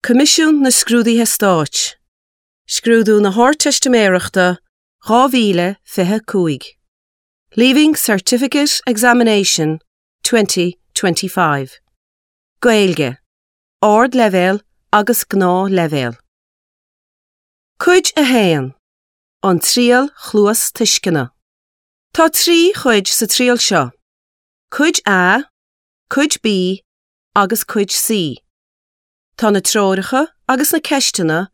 Coimisiún na Scrúduithe Stáit, Scrúdú na hArdteistiméireachta 2025, Leaving Certificate Examination 2025, Gaeilge, Ardleibhéal agus Gnáthleibhéal. Cuid 1, An Triail Chluastuisceana. Tá 3 chuid sa triail seo, Cuid A, Cuid B agus Cuid C. Tá na treoracha agus na ceisteanna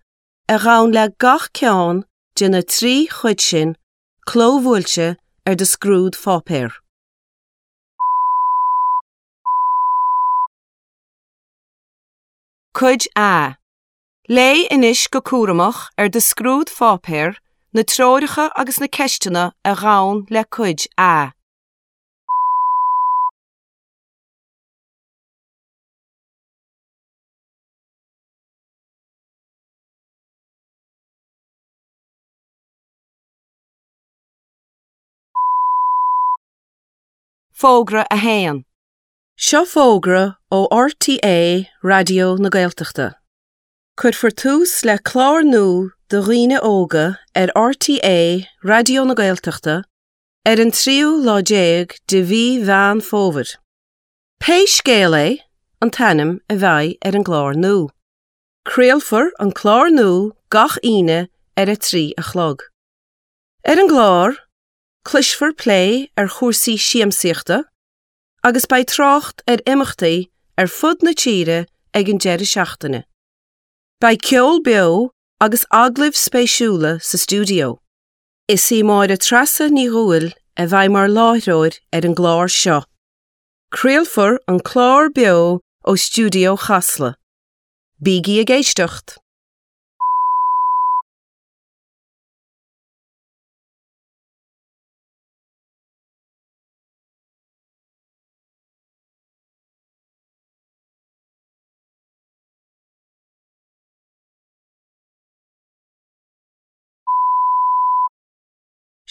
a ghabhann le gach ceann de na 3 chuid sin clóbhuailte ar do scrúdpháipéar. Cuid A. Léigh anois go cúramach ar do scrúdpháipéar na treoracha agus na ceisteanna a ghabhann le Cuid A. Fógra 1. Seo fógra ó RTÉ Raidió na Gaeltachta. Cuirfear tús le clár nua do dhaoine óga ar RTÉ Raidió na Gaeltachta ar an tríú lá déag de mhí Mheán Fómhair. Pé Scéal É an t-ainm a bheidh ar an gclár nua. Craolfar an clár nua gach Aoine ar a 3 a chlog. Ar an gclár, cloisfear plé ar chúrsaí siamsaíochta agus beidh trácht ar imeachtaí ar fud na tíre ag an deireadh seachtaine. Beidh ceol beo agus agallaimh spéisiúla sa stiúideo. Is í Máire Treasa Ní Dhubhghaill a bheidh mar láithreoir ar an gclár seo. Craolfar an clár beo ó stiúideo Chasla. Bígí ag éisteacht!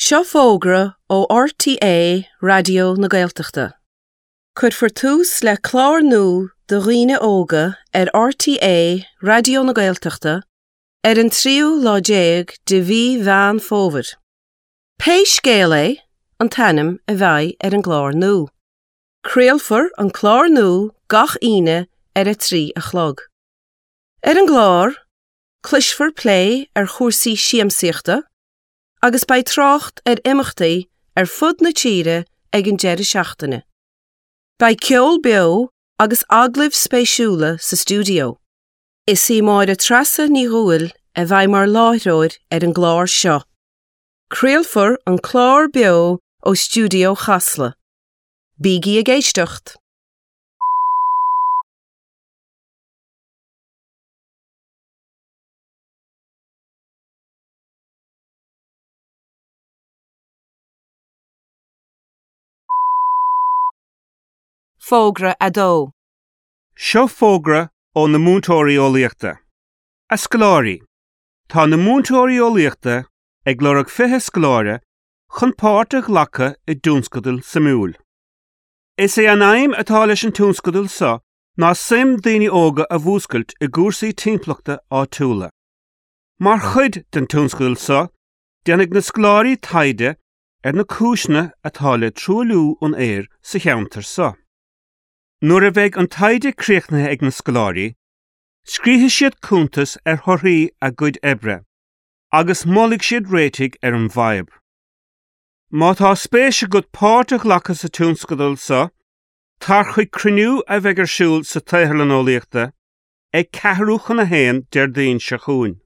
Seo fógra ó RTÉ Raidió na Gaeltachta. Cuirfear tús le clár nua do dhaoine óga ar RTÉ Raidió na Gaeltachta ar an tríú lá déag de mhí Mheán Fómhair. Pé Scéal É an t-ainm a bheidh ar an gclár nua. Craolfar an clár nua gach Aoine ar a 3 a chlog. Ar an gclár, cloisfear plé ar chúrsaí siamsaíochta agus beidh trácht ar imeachtaí ar fud na tíre ag an deireadh seachtaine. Beidh ceol beo agus agallaimh spéisiúla sa stiúideo. Is í Máire Treasa Ní Dhubhghaill a bheidh mar láithreoir ar an gclár seo. Craolfar an clár beo ó stiúideo Chasla. Bígí ag éisteacht! Fógra 2. Seo fógra ó na múinteoirí eolaíochta. A scoláirí, tá na múinteoirí eolaíochta ag lorg 20 scoláire chun páirt a ghlacadh i dtionscadal suimiúil. Is é an aidhm atá leis an tionscadal seo ná suim daoine óga a mhúscailt i gcúrsaí timpeallachta áitiúla. Mar chuid den tionscadal seo, déanfaidh na scoláirí taighde ar na cúiseanna atá le truailliú an aeir sa cheantar seo. Nuair a bheidh an taighde críochnaithe ag na scoláirí, scríobfaidh siad cuntas ar thorthaí a gcuid oibre agus molfaidh siad réitigh ar an bhfadhb. Má tá spéis agat páirt a ghlacadh sa tionscadal seo, tar chuig cruinniú a bheidh ar siúl sa tSaotharlann Eolaíochta ag ceathrú chun a haon Déardaoin seo chugainn.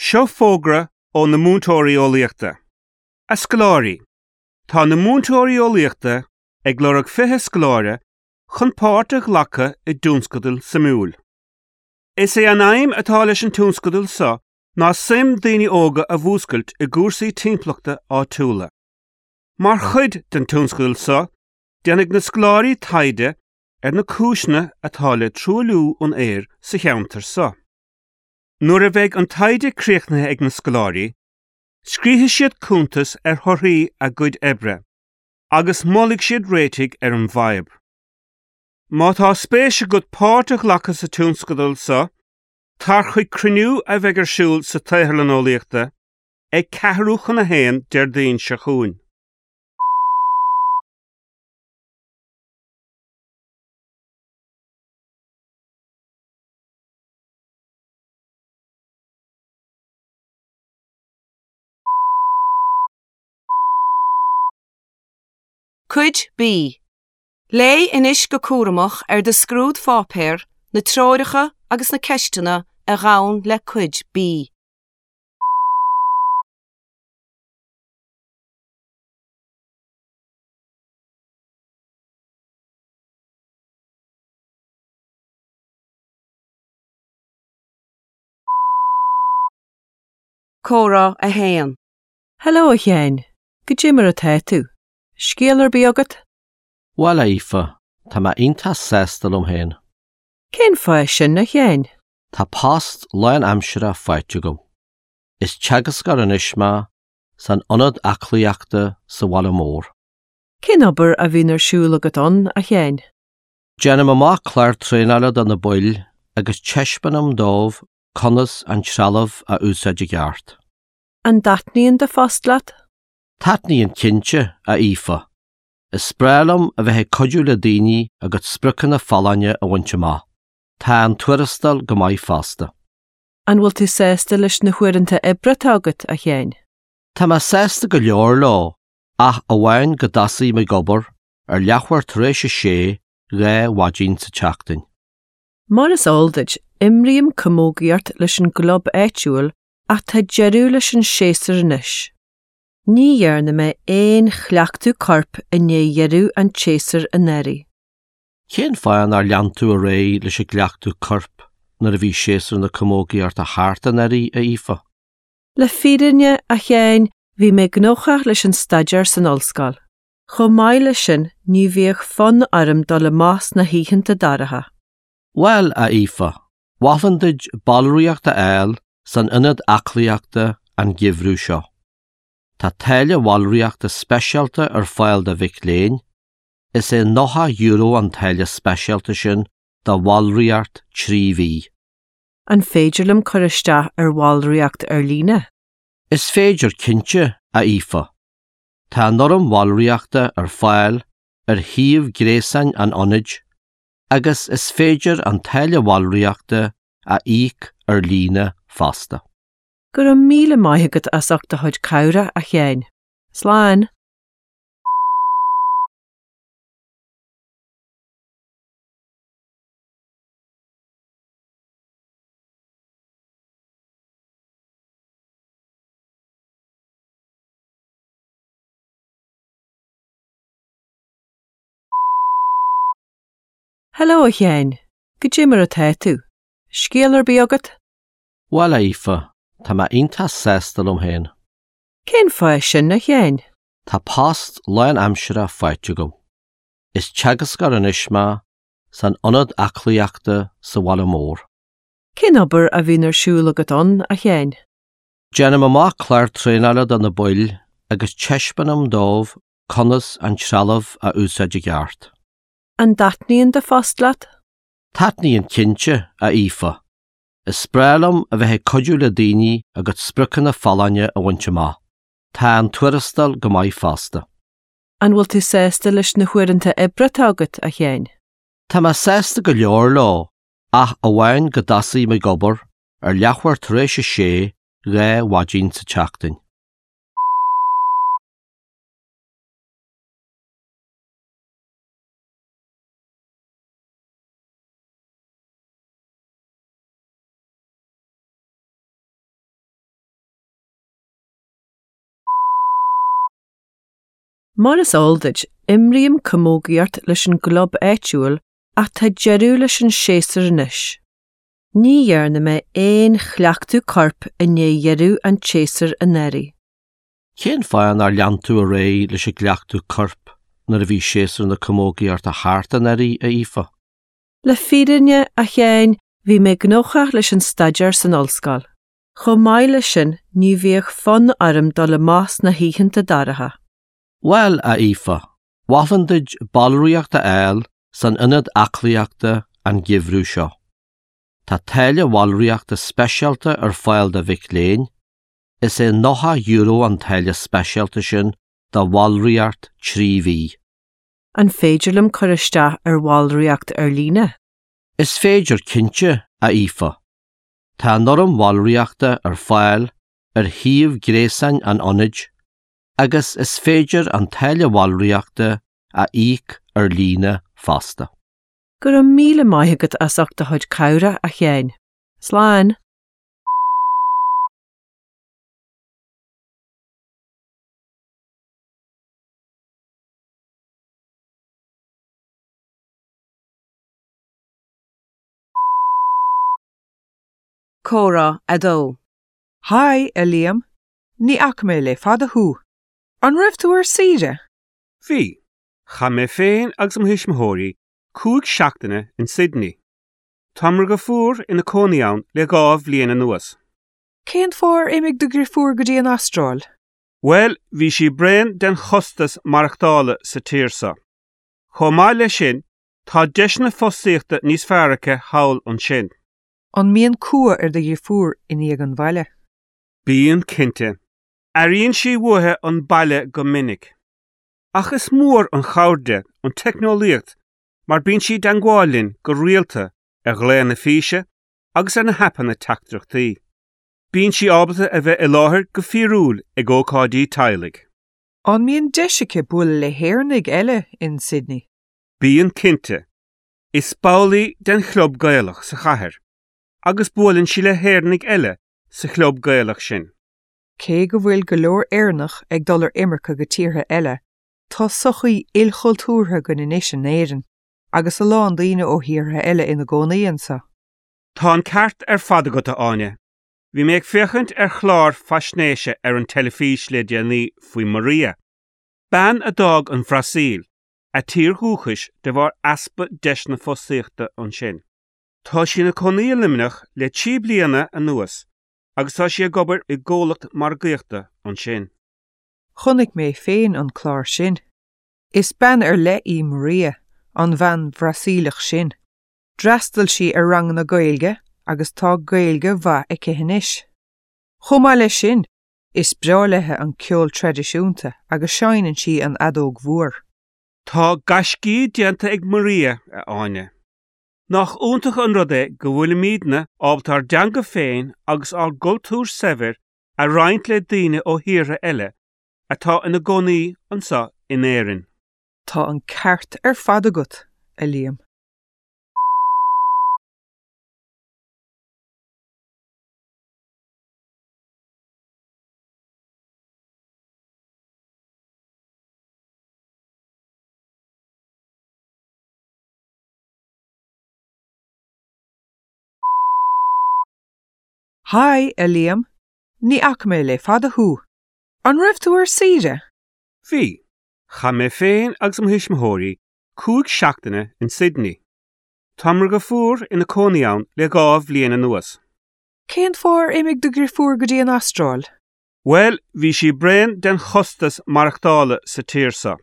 Seo fógra ó na múinteoirí eolaíochta. A scoláirí, tá na múinteoirí eolaíochta ag lorg 20 scoláire chun páirt a ghlacadh i dtionscadal suimiúil. Is é an aidhm atá leis an tionscadal seo ná suim daoine óga a mhúscailt i gcúrsaí timpeallachta áitiúla. Mar chuid den tionscadal seo, déanfaidh na scoláirí taighde. ar na cúiseanna atá le truailliú an aeir sa cheantar seo. Nuair a bheidh an taighde críochnaithe ag na scoláirí, scríobfaidh siad cuntas ar thorthaí a gcuid oibre agus molfaidh siad réitigh ar an bhfadhb. Má tá spéis agat páirt a ghlacadh sa tionscadal seo, tar chuig cruinniú a bheidh ar siúl sa tSaotharlann Eolaíochta ag ceathrú chun a haon Déardaoin seo chugainn. Cuid B. Léigh anois go cúramach ar do scrúdpháipéar na treoracha agus na ceisteanna a ghabhann le Cuid B. Comhrá 1. Hello a Sheáin, goidé mar atá tú? Scéal ar bith agat? Bhuel a Aoife, tá mé iontach sásta liom féin. Cén fáth sin a Sheáin? Tá post lánaimseartha faighte agam. Is teagascóir anois mé san ionad aclaíochta sa bhaile mór. Cén obair a bhíonn ar siúl agat ann, a Sheáin? Déanaim amach clár traenála do na baill agus taispeánaim dóibh conas an trealamh a úsáid i gceart. An dtaitníonn do phost leat? Taitníonn cinnte, a Aoife. Is breá liom a bheith ag cuidiú le daoine a gcuid spriocanna folláine a bhaint amach. Tá an tuarastal go maith fosta. An bhfuil tú sásta leis na huaireanta oibre atá agat, a Sheáin? Tá mé sásta go leor leo, ach amháin go dtosaím ag obair ar leathuair tar éis a sé dhá mhaidin sa tseachtain. Mar is eol duit, imrím camógaíocht leis an gclub áitiúil ach tá deireadh leis an séasúr anois. Ní dhearna mé aon chleachtadh coirp i ndiaidh dheireadh an tséasúir anuraidh. Cén fáth nár lean tú ar aghaidh leis an gcleachtadh coirp nuair a bhí séasúr na camógaíochta thart anuraidh, a Aoife? Le fírinne, a Sheáin, bhí mé gnóthach leis an staidéar san ollscoil. Chomh maith leis sin, ní bhíodh fonn orm dul amach sna hoícheanta dorcha. Bhuel, a Aoife, mholfainn duit ballraíocht a fháil san ionad aclaíochta an geimhreadh seo. Tá táille bhallraíochta speisialta ar fáil do mhic léinn, is é €90 an táille speisialta sin do bhallraíocht 3 mhí. An féidir liom cur isteach ar bhallraíocht ar líne? Is féidir cinnte, a Aoife. Tá an fhoirm bhallraíochta ar fáil ar shuíomh gréasáin an ionaid agus is féidir an táille bhallraíochta a íoc ar líne fosta. Go raibh míle maith agat as ucht do chuid cabhrach, a Sheáin. Slán! Hello a Sheáin, goidé mar atá tú? Scéal ar bith agat? Bhuel a Aoife, tá mé iontach sásta liom féin. Cén fáth sin, a Sheáin? Tá post lánaimseartha faighte agam. Is teagascóir anois mé san ionad aclaíochta sa bhaile mór. Cén obair a bhíonn ar siúl agat ann, a Sheáin? Déanaim amach clár traenála do na baill agus taispeánaim dóibh conas an trealamh a úsáid i gceart. An dtaitníonn do phost leat? Taitníonn cinnte, a Aoife. Is breá liom a bheith ag cuidiú le daoine a gcuid spriocanna folláine a bhaint amach. Tá an tuarastal go maith fosta. An bhfuil tú sásta leis na huaireanta oibre atá agat, a Sheáin? Tá mé sásta go leor leo, ach amháin go dtosaím ag obair ar leathuair tar éis a sé dhá mhaidin sa tseachtain. Mar is eol duit, imrím camógaíocht leis an gclub áitiúil ach tá deireadh leis an séasúr anois. Ní dhearna mé aon chleachtadh coirp i ndiaidh dheireadh an tséasúir anuraidh. Cén fáth nár lean tú ar aghaidh leis an gcleachtadh coirp nuair a bhí séasúr na camógaíochta thart anuraidh, a Aoife? Le fírinne, a Sheáin, bhí mé gnóthach leis an staidéar san ollscoil. Chomh maith leis sin, ní bhíodh fonn orm dul amach sna hoícheanta dorcha. Bhuel, a Aoife, mholfainn duit ballraíocht a fháil san ionad aclaíochta an geimhreadh seo. Tá táille bhallraíochta speisialta ar fáil do mhic léinn, is é €90 an táille speisialta sin do bhallraíocht 3 mhí. An féidir liom cur isteach ar bhallraíocht ar líne? Is féidir cinnte, a Aoife. Tá an fhoirm bhallraíochta ar fáil ar shuíomh gréasáin an ionaid agus is féidir an táille bhallraíochta a íoc ar líne fosta. Go raibh míle maith agat as ucht do chuid cabhrach, a Sheáin. Slán! Comhrá 2. Haigh, a Liam. Ní fhaca mé le fada thú. An raibh tú ar saoire? Bhí. Chaith mé féin agus mo thuismitheoirí 5 seachtaine in Sydney. Tá mo dheirfiúr ina cónaí ann le 2 bhliain anuas. Cén fáth ar imigh do dheirfiúr go dtí an Astráil? Bhuel, bhí sí bréan den chostas maireachtála sa tír seo. Chomh maith leis sin, tá deiseanna fostaíochta níos fearr aici thall ansin. An mbíonn cumha ar do dheirfiúr i ndiaidh an bhaile? Bíonn, cinnte. Airíonn sí uaithi an baile go minic. Ach is mór an chabhair di an teicneolaíocht mar bíonn sí i dteangmháil linn go rialta ar ghlaonna físe agus ar na haipeanna teachtaireachtaí. Bíonn sí ábalta a bheith i láthair go fíorúil ag ócáidí teaghlaigh. An mbíonn deis aici bualadh le hÉireannaigh eile in Sydney? Bíonn cinnte. Is ball í den chlub Gaelach sa chathair agus buaileann sí le hÉireannaigh eile sa chlub Gaelach sin. Cé go bhfuil go leor Éireannach ag dul ar imirce go tíortha eile, tá sochaí ilchultúrtha againn anois in Éirinn, agus a lán daoine ó thíortha eile ina gcónaí anseo. Tá an ceart ar fad agat, a Áine. Bhí mé ag féachaint ar chlár faisnéise ar an teilifís le déanaí faoi Maria, bean a d'fhág an Bhrasaíl, a tír dhúchais, de bharr easpa deiseanna fostaíochta ansin. Tá sí ina cónaí i Luimneach le trí bliana anuas agus tá sí ag obair i gcomhlacht margaíochta ansin. Chonaic mé féin an clár sin. Is bean ar leith í Maria, an bhean Bhrasaíleach sin. D'fhreastail sí ar ranganna Gaeilge agus tá Gaeilge mhaith aici anois. Chomh maith leis sin, is breá léi an ceol traidisiúnta agus seinneann sí an fheadóg mhór. Tá gaiscí déanta ag Maria, a Áine. Nach iontach an rud é go bhfuilimidne ábalta ár dteanga féin agus ár gcultúr saibhir a roinnt le daoine ó thíortha eile atá ina gcónaí anseo in Éirinn. Tá an ceart ar fad agat, a Liam. Haigh, a Liam. Ní fhaca mé le fada thú. An raibh tú ar saoire? Bhí. Chaith mé féin agus mo thuismitheoirí 5 seachtaine in Sydney. Tá mo dheirfiúr ina cónaí ann le 2 bhliain anuas. Cén fáth ar imigh do dheirfiúr go dtí an Astráil? Bhuel, bhí sí bréan den chostas maireachtála sa tír seo.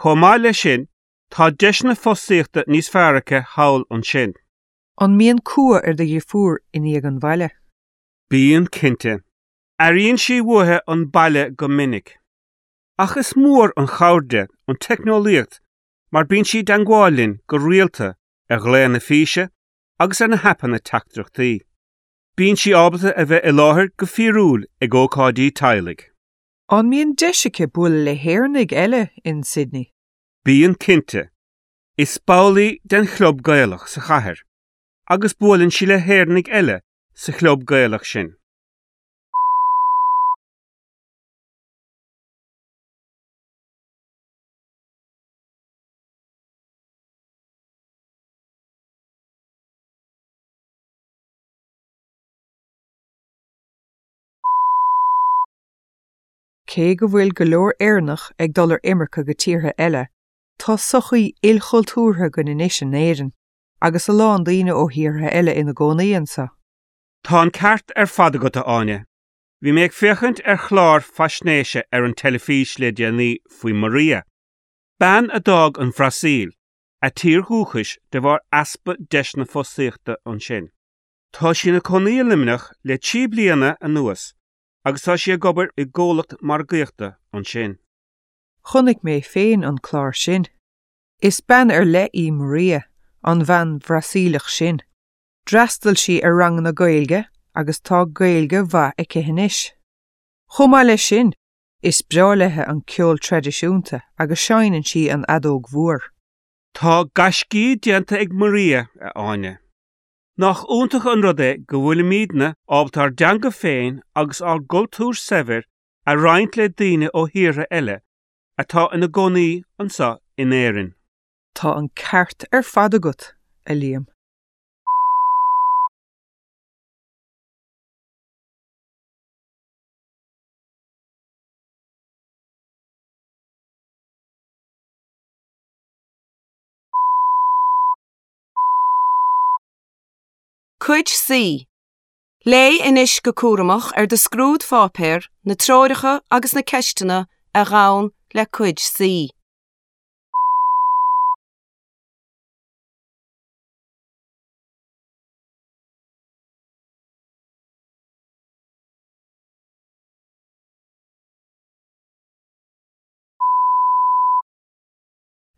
Chomh maith leis sin, tá deiseanna fostaíochta níos fearr aici thall ansin. An mbíonn cumha ar do dheirfiúr i ndiaidh an bhaile? Bíonn, cinnte. Airíonn sí uaithi an baile go minic. Ach is mór an chabhair di an teicneolaíocht mar bíonn sí i dteangmháil linn go rialta ar ghlaonna físe agus ar na haipeanna teachtaireachtaí. Bíonn sí ábalta a bheith i láthair go fíorúil ag ócáidí teaghlaigh. An mbíonn deis aici bualadh le hÉireannaigh eile in Sydney? Bíonn, cinnte. Is ball í den chlub Gaelach sa chathair agus buaileann sí le hÉireannaigh eile sa chlub Gaelach sin. Cé go bhfuil go leor Éireannach ag dul ar imirce go tíortha eile, tá sochaí ilchultúrtha againn anois in Éirinn, agus a lán daoine ó thíortha eile ina gcónaí anseo. Tá an ceart ar fad agat, a Áine. Bhí mé ag féachaint ar chlár faisnéise ar an teilifís le déanaí faoi Maria, bean a d'fhág an Bhrasaíl, a tír dhúchais, de bharr easpa deiseanna fostaíochta ansin. Tá sí ina cónaí i Luimneach le 3 bliana anuas agus tá sí ag obair i gcomhlacht margaíochta ansin. Chonaic mé féin an clár sin. Is bean ar leith í Maria, an bhean Bhrasaíleach sin. D'fhreastail sí ar ranganna Gaeilge agus tá Gaeilge mhaith aici anois. Chomh maith leis sin, is breá léi an ceol traidisiúnta agus seinneann sí an fheadóg mhór. Tá gaiscí déanta ag Maria, a Áine. Nach iontach an rud é go bhfuilimidne ábalta ár dteanga féin agus ár gcultúr saibhir a roinnt le daoine ó thíortha eile atá ina gcónaí anseo in Éirinn. Tá an ceart ar fad agat, a Liam. Cuid C. Léigh anois go cúramach ar do scrúdpháipéar na treoracha agus na ceisteanna a ghabhann le Cuid C.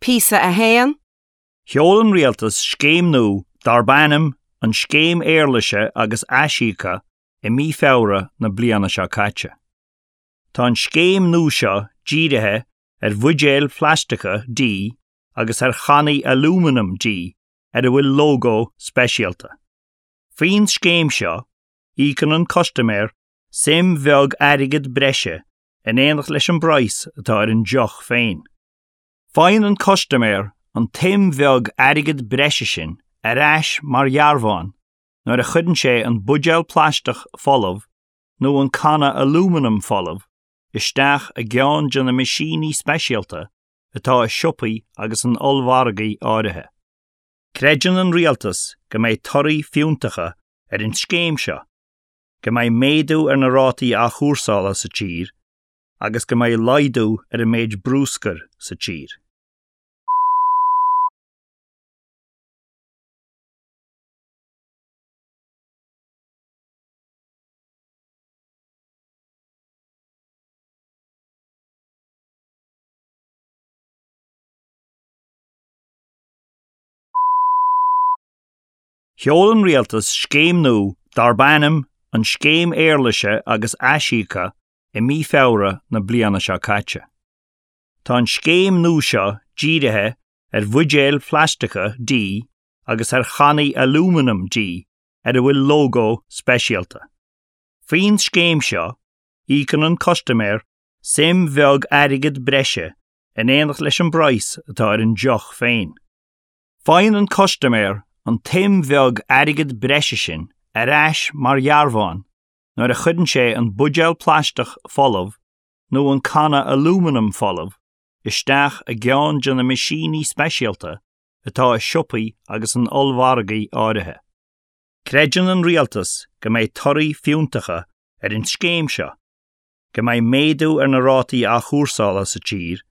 Píosa 1. Sheol an Rialtas scéim nua darb ainm an Scéim Éarlaise agus Aisíoca i mí Feabhra na bliana seo caite. Tá an scéim nua seo dírithe ar bhuidéil phlaisteacha dí agus ar channaí alúmanaim dí ar a bhfuil lógó speisialta. Faoin scéim seo, íocann an custaiméir suim bheag airgid breise in éineacht leis an bpraghas atá ar an deoch féin. Faigheann an custaiméir an tsuim bheag airgid breise sin ar ais mar dhearbhán nuair a chuireann sé an buidéal plaisteach folamh nó an canna alúmanaim folamh isteach i gceann de na meaisíní speisialta atá i siopaí agus in ollmhargaí áirithe. Creideann an Rialtas go mbeidh torthaí fiúntacha ar an scéim seo, go mbeidh méadú ar na rátaí athchúrsála sa tír agus go mbeidh laghdú ar an méid brúscair sa tír. Sheol an Rialtas scéim nua darb ainm an Scéim Éarlaise agus Aisíoca i mí Feabhra na bliana seo caite. Tá an scéim nua seo dírithe ar bhuidéil phlaisteacha dí agus ar channaí alúmanaim dí ar a bhfuil lógó speisialta. Faoin scéim seo, íocann an custaiméir suim bheag airgid breise in éineacht leis an bpraghas atá ar an deoch féin. Faigheann an custaiméir an tsuim bheag airgid breise sin ar ais mar dhearbhán nuair a chuireann sé an buidéal plaisteach folamh nó an canna alúmanaim folamh isteach i gceann de na meaisíní speisialta atá i siopaí agus in ollmhargaí áirithe. Creideann an Rialtas go mbeidh torthaí fiúntacha ar an scéim seo, go mbeidh méadú ar na rátaí athchúrsála sa tír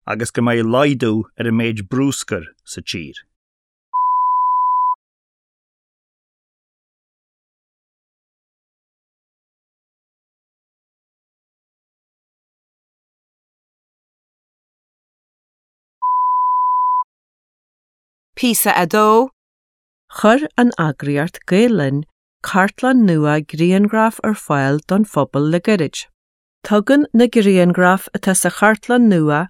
agus go mbeidh laghdú ar an méid brúscair sa tír. Píosa 2. Chuir an eagraíocht Gael Linn cartlann nua grianghraf ar fáil don phobal le gairid. Tugann na grianghraif atá sa chartlann nua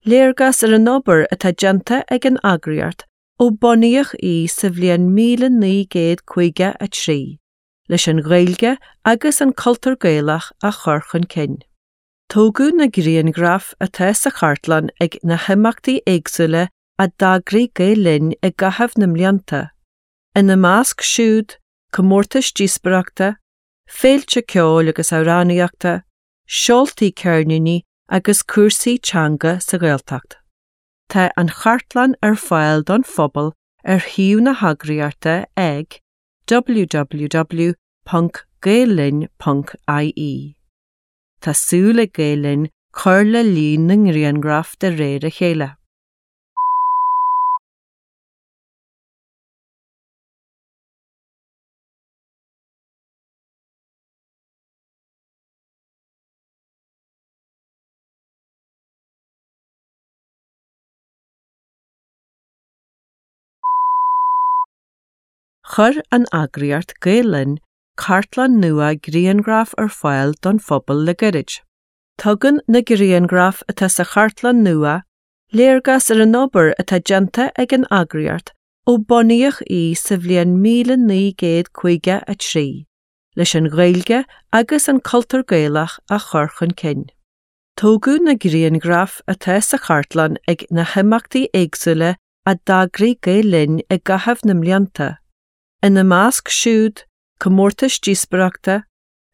léargas ar an obair atá déanta ag an eagraíocht ó bunaíodh í sa bhliain 1953 leis an Ghaeilge agus an cultúr Gaelach a chur chun cinn. Tógadh na grianghraif atá sa chartlann ag na himeachtaí éagsúla a d'eagraigh Gael Linn i gcaitheamh na mblianta, ina measc siúd, comórtais díospóireachta, féilte ceoil agus amhránaíochta, seoltaí ceirníní agus cúrsaí teanga sa Ghaeltacht. Tá an chartlann ar fáil don phobal ar shuíomh na heagraíochta ag www.gaellinn.ie. Tá súil ag Gael Linn cur le líon na ngrianghraf de réir a chéile. Chuir an eagraíocht Gael Linn cartlann nua grianghraf ar fáil don phobal le gairid. Tugann na grianghraif atá sa chartlann nua léargas ar an obair atá déanta ag an eagraíocht ó bunaíodh í sa bhliain 1953 leis an Ghaeilge agus an cultúr Gaelach a chur chun cinn. Tógadh na grianghraif atá sa chartlann ag na himeachtaí éagsúla a d'eagraigh Gael Linn i gcaitheamh na mblianta, ina measc siúd, comórtais díospóireachta,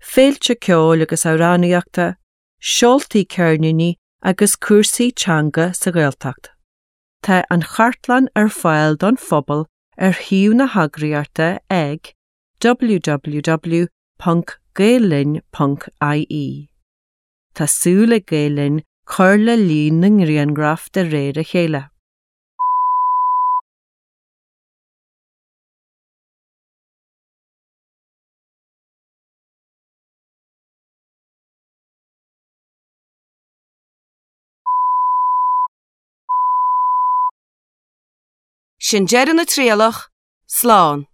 féilte ceoil agus amhránaíochta, seoltaí ceirníní agus cúrsaí teanga sa Ghaeltacht. Tá an chartlann ar fáil don phobal ar shuíomh na heagraíochta ag www.gaellinn.ie. Tá súil ag Gael Linn cur le líon na ngrianghraf de réir a chéile. Sin deireadh na trialach, slán!